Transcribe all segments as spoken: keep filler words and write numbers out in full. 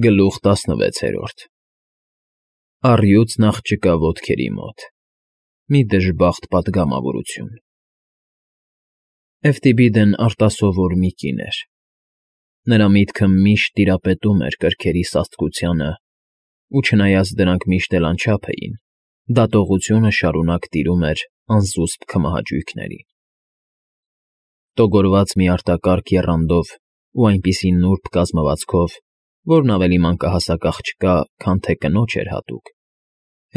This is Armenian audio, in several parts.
Գլուխ տասնվեցերորդ Առյուծ նախ չկա ոտքերի մոտ, մի դժբախտ պատգամավորություն։ Էֆթիբիդն արտասովոր մի կին էր։ Նրա միտքը միշտ տիրապետում էր կրքերի սաստկությանը, ու չնայած դրանք միշտ էլ անչափ էին, դատողությունը շարունակ տիրում էր անզուսպ քմահաճույքներին։ Տոգորված մի արտակարգ եռանդով ու այնպիսի նուրբ կազմվածքով, որն ավելի մանկահասակ աղջկա, քան թե կնոջ էր հատուկ,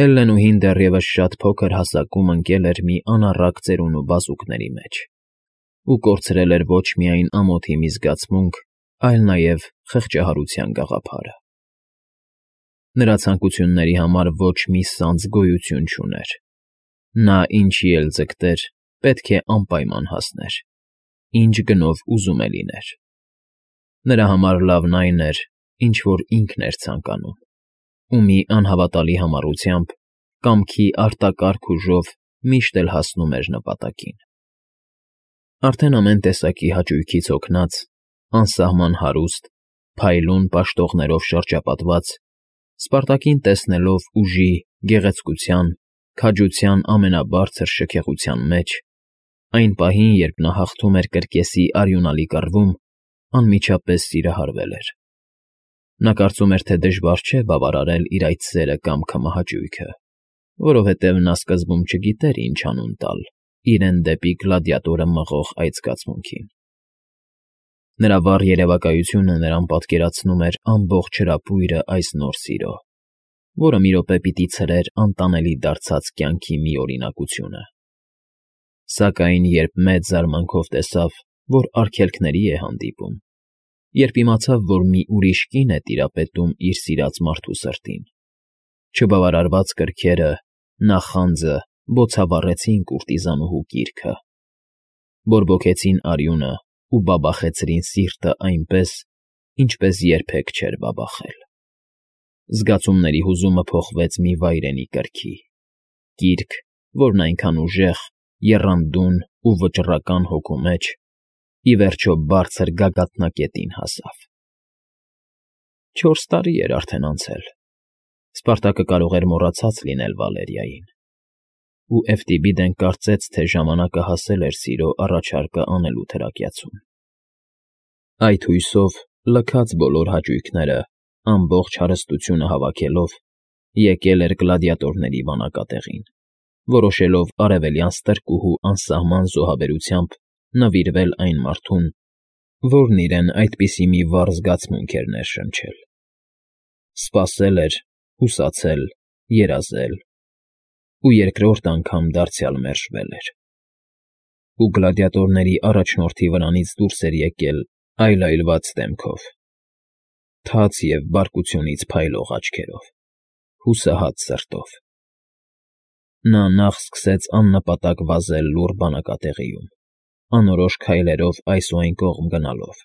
Հելլենուհին դեռևս շատ փոքր հասակում ընկել էր մի անառակ ծերունու բազուկների մեջ ու կորցրել էր ոչ միայն ամոթի մի զգացմունք, այլ նաև խղճահարության գաղափարը։ Նրա ցանկությունների համար ոչ մի սանձ գոյություն չուներ։ Նա ինչի էլ ձգտեր, պետք է անպայման հասներ, ինչ գնով ուզում է լիներ։ Նրա համար լավն այն էր, ինչ որ ինքն էր ցանկանում, ու մի անհավատալի համառությամբ, կամքի արտակարգ ուժով միշտ էլ հասնում էր նպատակին։ Արդեն ամեն տեսակի հաճույքից հոգնած, անսահման հարուստ, փայլուն պաշտողներով շրջապատված, Սպարտակին տեսնելով ուժի, գեղեցկության, քաջության ամենաբարձր շքեղության մեջ, այն պահին, երբ նա հաղթում էր կրկեսի արյունալի կռվում, անմիջապես սիրահարվել էր։ Նա կարծում էր, թե դժվար չէ բավարարել իր այդ սերը կամ քմահաճույքը, որովհետև նա սկզբում չգիտեր ինչ անուն տալ իրեն դեպի գլադիատորը մղող այդ զգացմունքին։ Նրա վառ երևակայությունը նրան պատկերացնում էր ամբողջ հրապույրը այս նոր սիրո, որը մի րոպե պիտի ցրեր անտանելի դարձած կյանքի միօրինակությունը։ Սակայն երբ մեծ զարմանքով տեսավ, որ արգելքների է հանդիպում, երբ իմացավ, որ մի ուրիշ կին է տիրապետում իր սիրած մարդու սրտին, չբավարարված կրքերը, նախանձը բոցավառեցին կուրտիզանուհու կիրքը, բորբոքեցին արյունը ու բաբախեցրին սիրտը այնպես, ինչպես երբեք չէր բաբախել։ Զգացումների հուզումը փոխվեց մի վայրենի կրքի, կիրք, որն այնքան ուժեղ, եռանդուն ու վճռական հոգու մեջ, ի վերջո բարձր գագաթնակետին հասավ։ Չորս տարի էր արդեն անցել, Սպարտակը կարող էր մոռացած լինել Վալերիային, ու Էֆթիբիդեն կարծեց, թե ժամանակը հասել էր սիրո առաջարկը անելու թրակյացում։ Այդ հույսով, լքած բոլոր հաճույքները, ամբողջ հարստությունը հավաքելով, եկել էր գլադիատորների բանակատեղին, որոշելով արևելյան ստրկուհու անսահման զոհաբերությամբ նվիրվել այն մարդուն, որն իրեն այդպիսի մի վառ զգացմունք էր ներշնչել։ Սպասել էր, հուսացել, երազել ու երկրորդ անգամ դարձյալ մերժվել էր։ Ու գլադիատորների առաջնորդի վրանից դուրս էր եկել այլայլված դեմքով, թաց և բարկությունից փայլող աչքերով, հուսահատ սրտով։ Նա նախ սկսեց աննպատակ վազել լուռ բանակատեղիում, անորոշ քայլերով այս ու այն կողմ գնալով,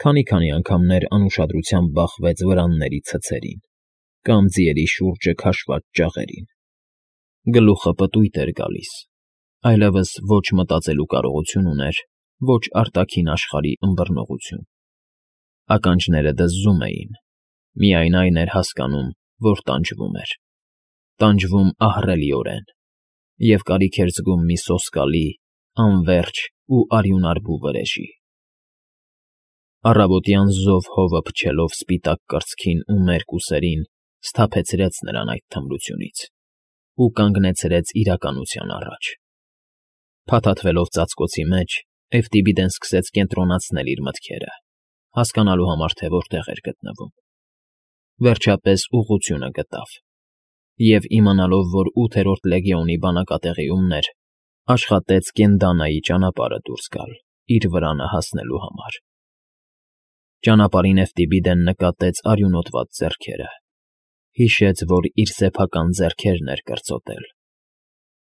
քանի֊քանի անգամներ անուշադրությամբ բախվեց վրանների ցցերին կամ ձիերի շուրջը քաշված ճաղերին։ Գլուխը պտույտ էր գալիս, այլևս ոչ մտածելու կարողություն ուներ, ոչ արտաքին աշխարհի ըմբռնողություն։ Ականջները դզզում էին, միայն այն էր հասկանում, որ տանջվում էր, տանջվում ահռելիորեն, և կարիք էր զգում մի սոսկալի, անվերջ ու արյունարբու վրեժի։ Առավոտյան զով հովը փչելով սպիտակ կրծքին ու մերկ ուսերին, սթափեցրեց նրան այդ թմրությունից ու կանգնեցրեց իրականության առաջ։ Փաթաթվելով ծածկոցի մեջ, Էֆթիբիդեն սկսեց կենտրոնացնել իր մտքերը, հասկանալու համար, թե որտեղ էր գտնվում։ Վերջապես ուղղությունը գտավ, և իմանալով, որ ութերորդ լեգիոնի բանակատեղիումն էր, աշխատեց Կենդանայի ճանապարհը դուրս գալ իր վրանը հասնելու համար։ Ճանապարհին Էֆթիբիդեն նկատեց արյունոտված ձեռքերը, հիշեց, որ իր սեփական ձեռքերն էր կրծոտել,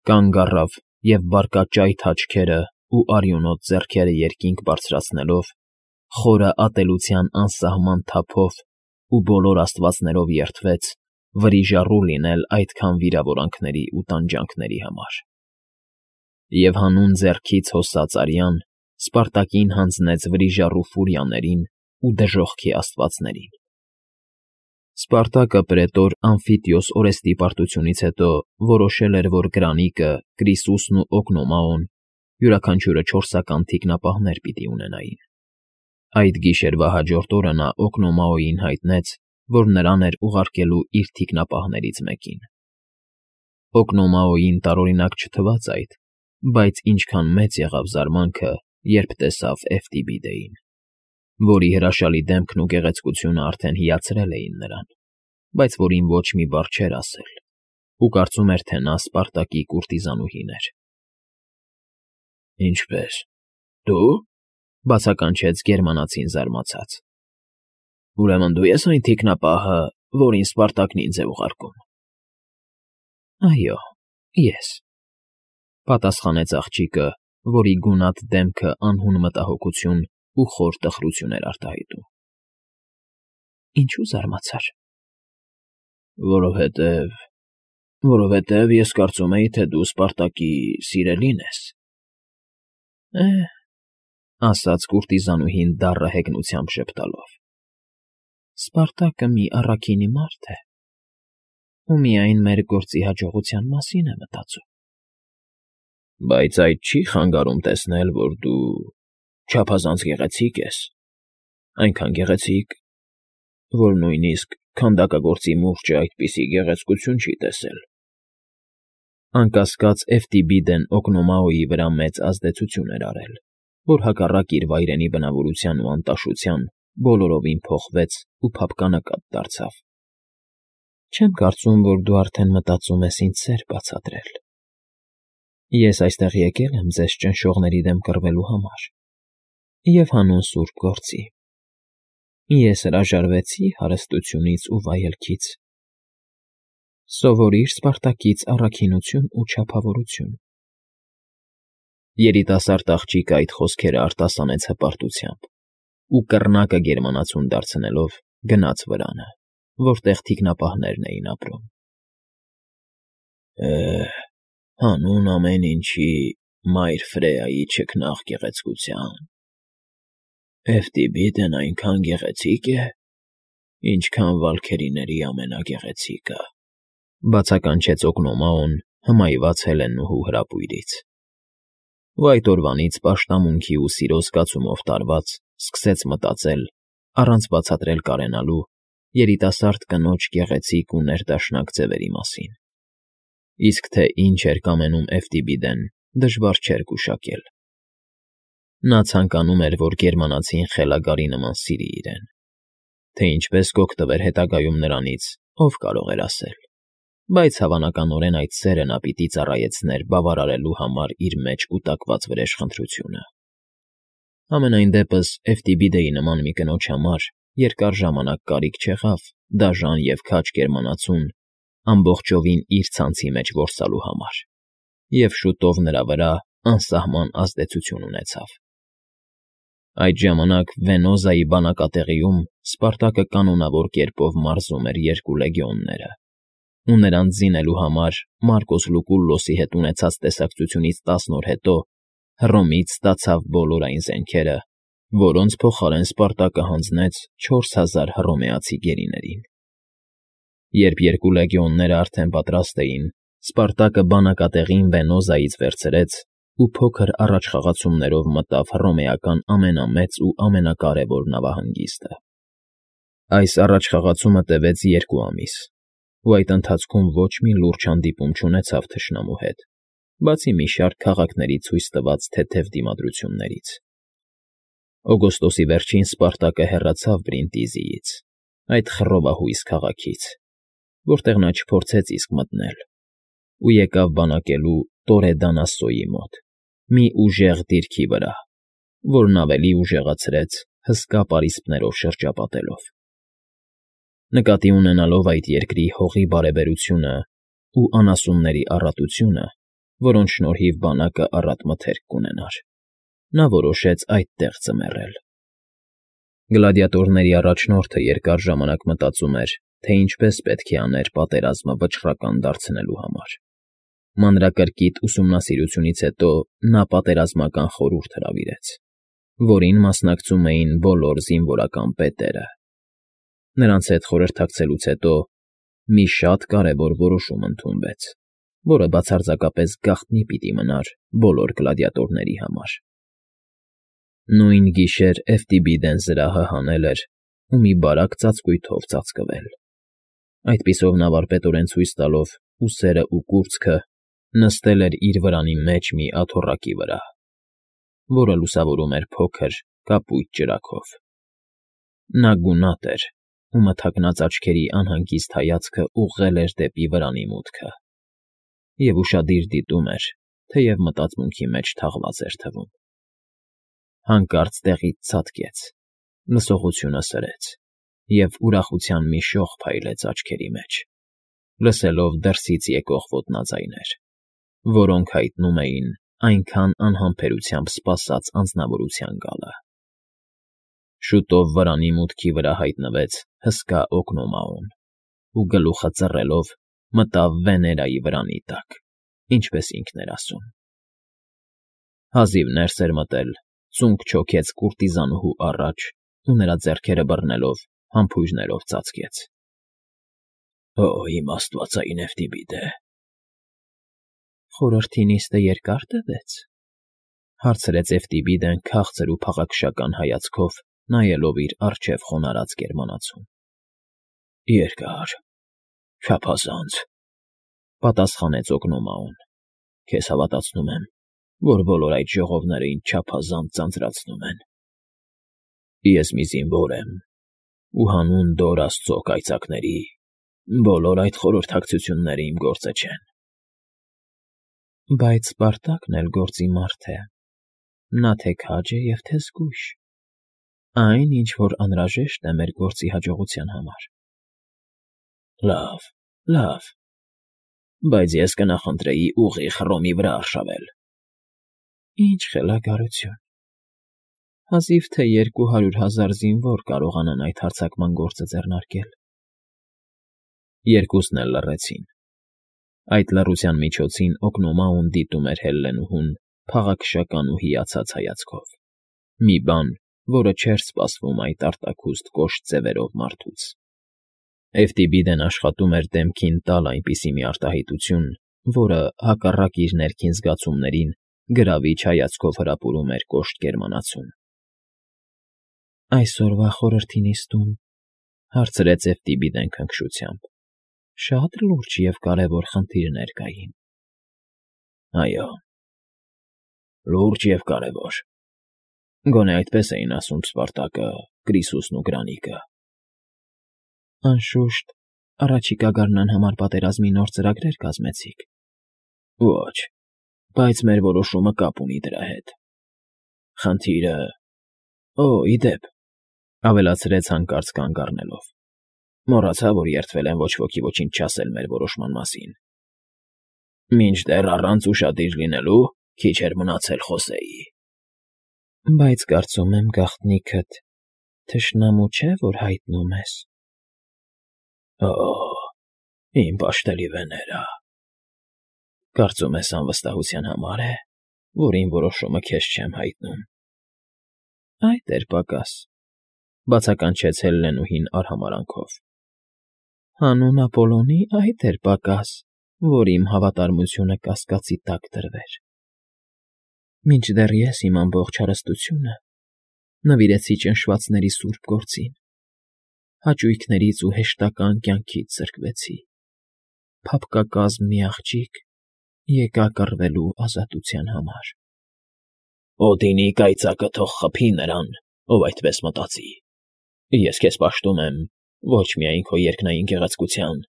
կանգ առավ և բարկաճայթ աչքերը ու արյունոտ ձեռքերը երկինք բարձրացնելով, խորը ատելության անսահման թափով ու բոլոր աստվածներով երդվեց վրիժառու լինել այդքան վիրավորանքների ու տանջանքների համար։ Եվ հանուն ձեռքից հոսած արյան Սպարտակին հանձնեց վրիժառու ֆուրիաներին ու դժոխքի աստվածներին, Սպարտակը պրետոր Ամֆիտիոս Օրեստի պարտությունից հետո որոշել էր, որ Գրանիկը, Կրիսուսն ու Օգնոմաոն յուրաքանչյուրը չորսական թիկնապահներ պիտի ունենային։ Այդ գիշերվա հաջորդ օրը նա Օգնոմաոյին հայտնեց, որ նրան էր ուղարկելու իր թիկնապահներից մեկին։ Օգնոմաոյին տարօրինակ չթվաց այդ, բայց ինչքան մեծ եղավ զարմանքը, երբ տեսավ Էֆտիբիդեին, որի հրաշալի դեմքն ու գեղեցկությունը արդեն հիացրել էին նրան, բայց որին ոչ մի բառ չէր ասել, ու կարծում էր, թե նա Սպարտակի կուրտիզանուհին էր։ «Ինչպե՞ս, դու,֊ բացականչեց գերմանացին զարմացած։ Ուրեմն դու ես այն թիկնապահը, որին Սպարտակն ինձ է ուղարկում։ Այո, ես,֊ պատասխանեց աղջիկը, որի գունատ դեմքը անհուն մտահոգություն ու խոր տխրություն էր արտահայտում։ Ինչու զարմացար։ Որովհետև… որովհետև ես կարծում էի, թե դու Սպարտակի սիրելին ես։ Է՜, ասաց կուրտիզանուհին դառը հեգնությամբ ժպտալով։ Սպարտակը մի առաքինի մարդ է, ու միայն մեր գործի հաջողության մասին է մտածում։ Բայց այդ չի խանգարում տեսնել, որ դու չափազանց գեղեցիկ ես, այնքան գեղեցիկ, որ նույնիսկ քանդակագործի մուրճը այդպիսի գեղեցկություն չի տեսել։ Անկասկած Էֆտիբիդեն Օգնոմաոյի վրա մեծ ազդեցություն էր արել, որ հակառակ իր վայրենի բնավորության ու անտաշության բոլորովին փոխվեց ու փափկանակատ դարձավ։ Չեմ կարծում, որ դու արդեն մտածում ես ինձ սեր բացատրել։ Ես այստեղ եկել եմ ձեզ ճնշողների դեմ կռվելու համար և հանուն սուրբ գործի։ Ես հրաժարվեցի հարստությունից ու վայելքից։ Սովորիր Սպարտակից առաքինություն ու չափավորություն։ Երիտասարդ աղջիկը այդ խոսքերը արտասանեց հպարտությամբ ու կռնակը գերմանացուն դարձնելով գնաց վրանը, որտեղ թիկնապահներն էին ապրում։ Է՜, հանուն ամեն ինչի մայր Ֆրեայի չքնաղ գեղեցկության… Էֆտիբիդեն այնքան գեղեցիկ է, ինչքան վալքերիների ամենագեղեցիկը,֊ բացականչեց Օգնոմաոն հմայված Հելենուհու հրապույրից։ Ու այդ օրվանից պաշտամունքի ու սիրո զգացումով տարված սկսեց մտածել, առանց բացատրել կարենալու, երիտասարդ կնոջ գեղեցիկ ու ներդաշնակ ձևերի մասին։ Իսկ թե ինչ էր կամենում Էֆտիբիդեն, դժվար չէր գուշակել։ Նա ցանկանում էր, որ գերմանացին խելագարի նման սիրի իրեն, թե ինչպես կօգտվեր հետագայում նրանից, ով կարող էր ասել, բայց հավանականորեն այդ սերը նա պիտի ծառայեցներ բավարարելու համար իր մեջ կուտակված վրեժխնդրությունը։ Համենայն դեպս Էֆտիբիդեի նման մի կնոջ համար երկար ժամանակ կարիք չեղավ դաժան և քաջ գերմանացուն ամբողջովին իր ցանցի մեջ որսալու համար, և շուտով նրա վրա անսահման ազդեցություն ունեցավ։ Այդ ժամանակ Վենոզայի բանակատեղիում Սպարտակը կանոնավոր կերպով մարզում էր երկու լեգիոնները, ու նրանց զինելու համար Մարկոս Լուկուլլոսի հետ ունեցած տեսակցությունից տասն օր հետո Հռոմից ստացավ բոլոր այն զենքերը, որոնց փոխարեն Սպարտակը հանձնեց չորս հազար հռոմեացի գերիներին։ Երբ երկու լեգիոնները արդեն պատրաստ էին, Սպարտակը բանակատեղին Վենոզայից վերցրեց ու փոքր առաջխաղացումներով մտավ հռոմեական ամենամեծ ու ամենակարևոր նավահանգիստը։ Այս առաջխաղացումը տևեց երկու ամիս, ու այդ ընթացքում ոչ մի լուրջ հանդիպում չունեցավ թշնամու հետ, բացի մի շարք քաղաքների ցույց տված թեթև դիմադրություններից։ Օգոստոսի վերջին Սպարտակը հեռացավ Բրինտիզիից, այդ խռովահույս քաղաքից, որտեղ նա չփորձեց իսկ մտնել, ու եկավ բանակելու Տորեդանասոյի մոտ, մի ուժեղ դիրքի վրա, որն ավելի ուժեղացրեց հսկա պարիսպներով շրջապատելով։ Նկատի ունենալով այդ երկրի հողի բարեբերությունը ու անասունների առատությունը, որոնց շնորհիվ բանակը առատ մթերք կունենար, նա որոշեց այդտեղ ձմեռել։ Գլադիատորների առաջնորդը երկար ժամանակ մտածում էր, թե ինչպես պետք է աներ պատերազմը վճռական դարձնելու համար։ Մանրակրկիտ ուսումնասիրությունից հետո նա պատերազմական խորհուրդ հրավիրեց, որին մասնակցում էին բոլոր զինվորական պետերը։ Նրանց հետ խորհրդակցելուց հետո մի շատ կարևոր որոշում ընդունվեց, որը բացարձակապես գաղտնի պիտի մնար բոլոր գլադիատորների համար։ Նույն գիշեր Էֆտիբիդեն զրահը հանել էր ու մի բարակ ծածկույթով ծածկվել։ Այդպիսով նա վարպետորեն ցույց տալով ուսերն ու կուրծքը նստել էր իր վրանի մեջ մի աթոռակի վրա, որը լուսավորում էր փոքր կապույտ ճրագով։ Նա գունատ էր ու մթաքնած աչքերի անհանգիստ հայացքը ուղղել էր դեպի վրանի մուտքը, և ուշադիր դիտում էր, թեև մտածմունքի մեջ թաղված էր թվում։ Հանկարծ տեղից ցատկեց, լսողությունը սրեց, և ուրախության մի շող փայլեց աչքերի մեջ, լսելով դրսից եկող ոտնաձայներ, որոնք հայտնում էին այնքան անհամբերությամբ սպասած անձնավորության գալը։ Շուտով վրանի մուտքի վրա հայտնվեց հսկա Օգնոմաոն ու գլուխը ծռելով մտավ Վեներայի վրանի տակ, ինչպես ինքն էր ասում։ Հազիվ ներս էր մտել, ծունկ չոքեց կուրտիզանուհու առաջ ու նրա ձեռքերը բռնելով համբույրներով ծածկեց։ Օ, իմ աստվածային Էֆտիբիդե… Խորհրդի նիստը երկա՞ր տևեց,֊ հարցրեց Էֆտիբիդեն քաղցր ու փաղաքշական հայացքով, նայելով իր առջև խոնարհած գերմանացուն։ Երկար, չափազանց,֊ պատասխանեց Օգնոմաոն։ Քեզ հավատացնում եմ, որ բոլոր այդ ժողովները ինձ չափազանց ձանձրացնում են։ Ես մի զինվոր եմ, ու հանուն Դոր Աստծո կայծակների բոլոր այդ խորհրդակցությունները իմ գործը չեն։ Բայց Սպարտակն էլ գործի մարդ է, նա թե քաջ է և թե զգույշ, այն, ինչ որ անհրաժեշտ է մեր գործի հաջողության համար։ Լավ, լավ, բայց ես կնախընտրեի ուղիղ Հռոմի վրա արշավել։ Ինչ խելագարություն… Հազիվ թե երկու հարյուր հազար զինվոր կարողանան այդ հարձակման գործը ձեռնարկել։ Երկուսն էլ լռեցին։ Այդ լռության միջոցին Օգնոմաոն դիտում էր Հելլենուհուն փաղաքշական ու հիացած հայացքով, մի բան, որը չէր սպասվում այդ արտաքուստ կոշտ ձևերով մարդուց։ Էֆտիբիդեն աշխատում էր դեմքին տալ այնպիսի մի արտահայտություն, որը, հակառակ իր ներքին զգացումներին, գրավիչ հայացքով հրապուրում էր կոշտ գերմանացուն։ Այսօրվա խորհրդի նիստում,֊ հարցրեց Էֆտիբիդեն քնքշությամբ,֊ շատ լուրջ և կարևոր խնդիրներ կային։ Այո, լուրջ և կարևոր։ Գոնե այդպես էին ասում Սպարտակը, Կրիսուսն ու Գրանիկը։ Անշուշտ, առաջիկա գարնան համար պատերազմի նոր ծրագրեր կազմեցիք։ Ոչ, բայց մեր որոշումը կապ ունի դրա հետ։ Խնդիրը… Օ, ի դեպ,֊ ավելացրեց հանկարծ կանգ առնելով,֊ մոռացա, որ երդվել եմ ոչ ոքի ոչինչ չասել մեր որոշման մասին։ Մինչդեռ առանց ուշադիր լինելու քիչ էր մնացել խոսեի։ Բայց կարծում եմ գաղտնիքդ թշնամու չէ, որ հայտնում ես։ Օ, իմ պաշտելի Վեներա… Կարծում ես անվստահության համար է, որ իմ որոշումը քեզ չեմ հայտնում։ Այդ էր պակաս,֊ բացականչեց Հելլենուհին արհամարհանքով։ Հանուն Ապոլոնի այդ էր պակաս, որ իմ հավատարմությունը կասկածի տակ դրվեր։ Մինչդեռ ես իմ ամբողջ հարստությունը նվիրեցի ճնշվածների սուրբ գործին, հաճույքներից ու հեշտական կյանքից զրկվեցի, փափկակազմ մի աղջիկ եկա կռվելու ազատության համար։ Օդինի կայծակը թող խփի նրան, ով այդպես մտածի։ Ես քեզ պաշտում եմ ոչ միայն քո երկնային գեղեցկության,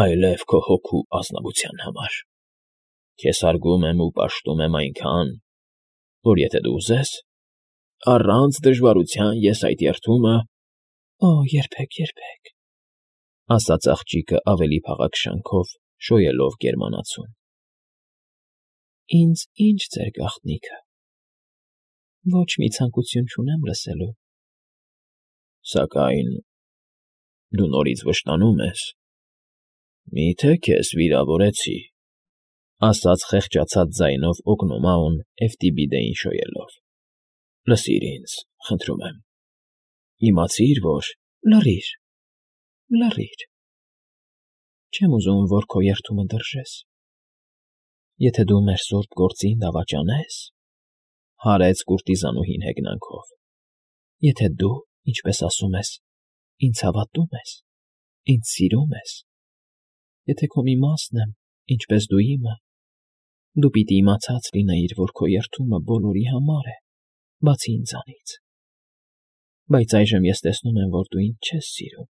այլև քո հոգու ազնվության համար։ Քեզ հարգում եմ ու պաշտում եմ այնքան, որ եթե դու ուզես, առանց դժվարության ես այդ երդումը… Օ, երբեք, երբեք,֊ ասաց աղջիկը ավելի փաղաքշանքով, շոյելով գերմանացուն։ Ինձ ի՞նչ ձեր գաղտնիքը… Ոչ մի ցանկություն չունեմ լսելու։ Սակայն դու նորից վշտանում ես… Մի՞թե քեզ վիրավորեցի,֊ ասաց խեղճացած ձայնով Օգնոմաոն Էֆտիբիդեին շոյելով։ Լսիր ինձ, խնդրում եմ։ Իմացիր, որ… Լռիր, Լռիր։ Չեմ ուզում, որ քո երդումը դրժես։ Եթե դու մեր սուրբ գործին դավաճանես,֊ հարեց կուրտիզանուհին հեգնանքով,֊ եթե դու, ինչպես ասում ես, ինձ հավատում ես, ինձ սիրում ես, եթե քո մի մասն եմ, ինչպես դու իմը, դու պիտի իմացած լինեիր, որ քո երդումը բոլորի համար է, բացի ինձանից։ Բայց այժմ ես տեսնում եմ, որ դու ինձ չես սիրում,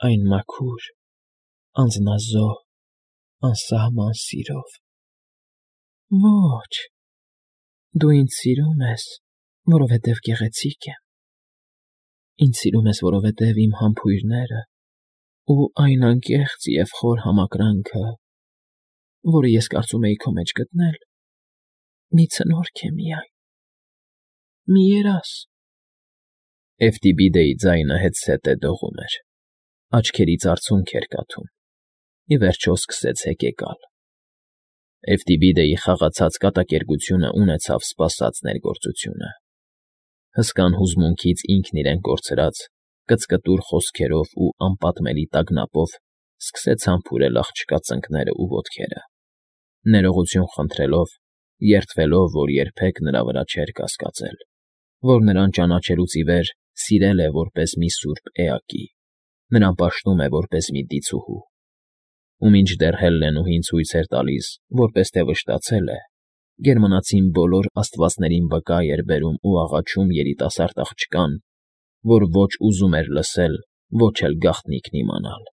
այն մաքուր, անձնազոհ, անսահման սիրով։ Ոչ, դու ինձ սիրում ես, որովհետև գեղեցիկ եմ, ինձ սիրում ես, որովհետև իմ համբույրները ու այն անկեղծ և խոր համակրանքը, որը ես կարծում էի քո մեջ գտնել, մի ցնորք է միայն, մի երազ… Էֆթիբիդեի ձայնը հետզհետե դողում էր, աչքերից արցունք էր կաթում, ի վերջո սկսեց հեկեկալ… Էֆթիբիդեի խաղացած կատակերգությունը ունեցավ սպասած ներգործությունը… Հսկան հուզմունքից ինքն իրեն կորցրած, կծկտուր խոսքերով ու անպատմելի տագնապով սկսեց համբուրել աղջկա ծնկներն ու ոտքերը, ներողություն խնդրելով, երդվելով, որ երբեք նրա վրա չէր կասկածել, որ նրան ճանաչելուց ի վեր սիրել է որպես մի սուրբ էակի, նրան պաշտում է որպես մի դիցուհու, ու մինչդեռ Հելլենուհին ցույց էր տալիս, որպես թե վշտացել է, գերմանացին բոլոր աստվածներին վկա էր բերում ու աղաչում երիտասարդ աղջկան, որ ոչ ուզում էր լսել, ոչ էլ գաղտնիքն իմանալ։